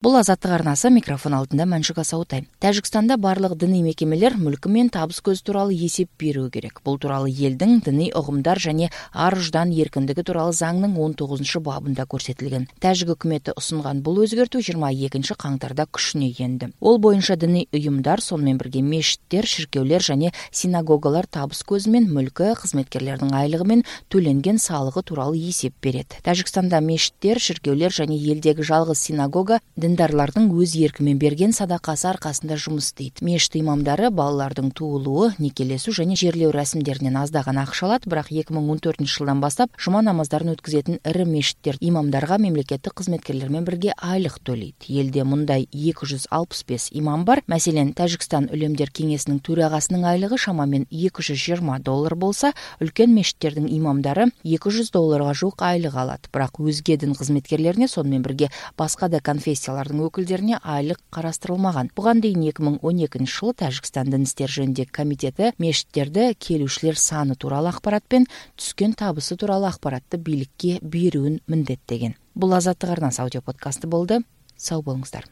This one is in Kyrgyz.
Бул Азаттык арнасы, микрофон алдында Маншук Асаутай. Тажикстанда барлык диний мекемелер мүлкү менен табыс көзү тууралуу эсеп берүү керек. Бул тууралуу элдин диний угумдар жана ар уждан эркиндиги тууралуу заңдын 19-бабында көрсөтүлгөн. Тажик өкмөтү усунган бул өзгөртүү 22-каңтарда күчүнө энди. Ол боюнча диний уюмдар, сонун менен бирге мечиттер, ширкеулер жана синагогалар табыс көзү менен мүлкү, кызметкерлердин айлыгы менен төленген салыгы тууралуу эсеп берет. Тажикстанда мечиттер, ширкеулер жана элдеги жалгыз синагога діндарлардың өз еркімен берген садакасы аркасында жұмыс істейт. Мешіт имамдары балалардың туулуу, некелесүү және жерлөө рәсимдеринен аздаган акча алат, бирок 2014 жылдан баштап жума намаздарын өткөзөтүн ири мешиттер имамдарга мемлекеттик кызметкерлер менен бирге айлык төлөйт. Элде мындай 265 имам бар. Маселен, Тажикстан үлемдер кеңесинин төрагасынын айлыгы шамамен $220 болса, үлкен мешиттердин имамдары $200 жук айлык алат. Бирок өзге дин кызметкерлерине, сонун менен бирге башка да конфессиялар өкүлдөрүнө айлык карастырылмаган. Буга дейин 2012 жылы Тажикстан дин иштери жөнүндөгү комитети мешиттерде келүүчүлөр саны тууралуу акпарат менен түскөн табысы тууралуу акпаратты бийликке берүүнү міндеттеген. Бул Азаттык арнасы аудио подкасты болду. Сау болуңуздар.